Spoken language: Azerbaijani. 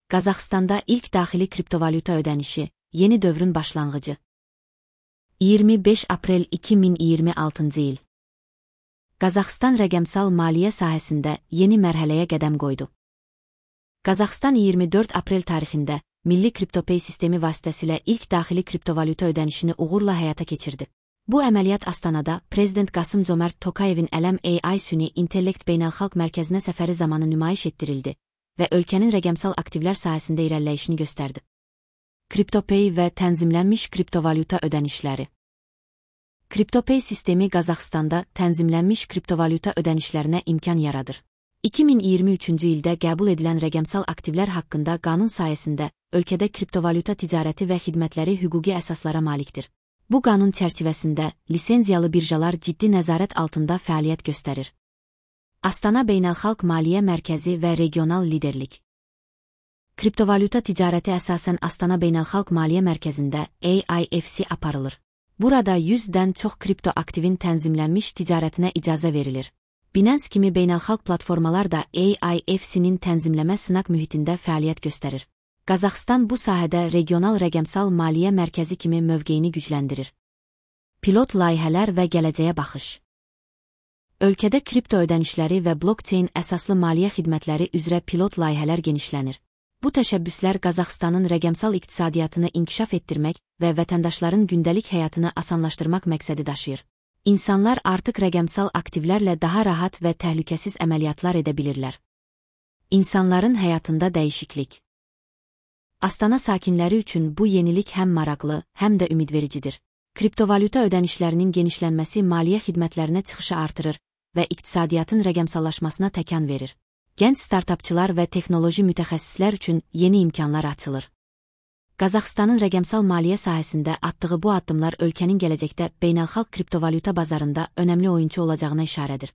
Qazaxstanda ilk daxili kriptovalyuta ödənişi, yeni dövrün başlanğıcı. 25 aprel 2026 il. Qazaxstan rəqəmsal maliyyə sahəsində yeni mərhələyə qədəm qoydu. Qazaxstan 24 aprel tarixində Milli KryptoPay sistemi vasitəsilə ilk daxili kriptovalyuta ödənişini uğurla həyata keçirdi. Bu əməliyyat Astanada Prezident Qasım-Comert Tokayevin Ələm AI Süni İntellekt Beynəlxalq Mərkəzinə səfəri zamanı nümayiş etdirildi və ölkənin rəqəmsal aktivlər sahəsində irəliləyişini göstərdi. KryptoPay və tənzimlənmiş kriptovalyuta ödənişləri. KryptoPay sistemi Qazaxstanda tənzimlənmiş kriptovalyuta ödənişlərinə imkan yaradır. 2023-cü ildə qəbul edilən rəqəmsal aktivlər haqqında qanun sayəsində ölkədə kriptovalyuta ticarəti və xidmətləri hüquqi əsaslara malikdir. Bu qanun çərçivəsində lisenziyalı birjalar ciddi nəzarət altında fəaliyyət göstərir. Astana Beynəlxalq Maliyyə Mərkəzi və regional liderlik. Kriptovalyuta ticarəti əsasən Astana Beynəlxalq Maliyyə Mərkəzində AIFC aparılır. Burada 100-dən çox kripto aktivin tənzimlənmiş ticarətinə icazə verilir. Binance kimi beynəlxalq platformalar da AIFC-nin tənzimləmə sınaq mühitində fəaliyyət göstərir. Qazaxstan bu sahədə regional rəqəmsal maliyyə mərkəzi kimi mövqeyini gücləndirir. Pilot layihələr və gələcəyə baxış. Ölkədə kripto ödənişləri və blockchain əsaslı maliyyə xidmətləri üzrə pilot layihələr genişlənir. Bu təşəbbüslər Qazaxstanın rəqəmsal iqtisadiyyatını inkişaf etdirmək və vətəndaşların gündəlik həyatını asanlaşdırmaq məqsədi daşıyır. İnsanlar artıq rəqəmsal aktivlərlə daha rahat və təhlükəsiz əməliyyatlar edə bilirlər. İnsanların həyatında dəyişiklik. Astana sakinləri üçün bu yenilik həm maraqlı, həm də ümidvericidir. Kriptovalyuta ödənişlərinin genişlənməsi maliyyə xidmətlərinə çıxışı artırır və iqtisadiyyatın rəqəmsallaşmasına təkan verir. Gənc startapçılar və texnoloji mütəxəssislər üçün yeni imkanlar açılır. Qazaxstanın rəqəmsal maliyyə sahəsində atdığı bu addımlar ölkənin gələcəkdə beynəlxalq kriptovalyuta bazarında önəmli oyunçu olacağına işarədir.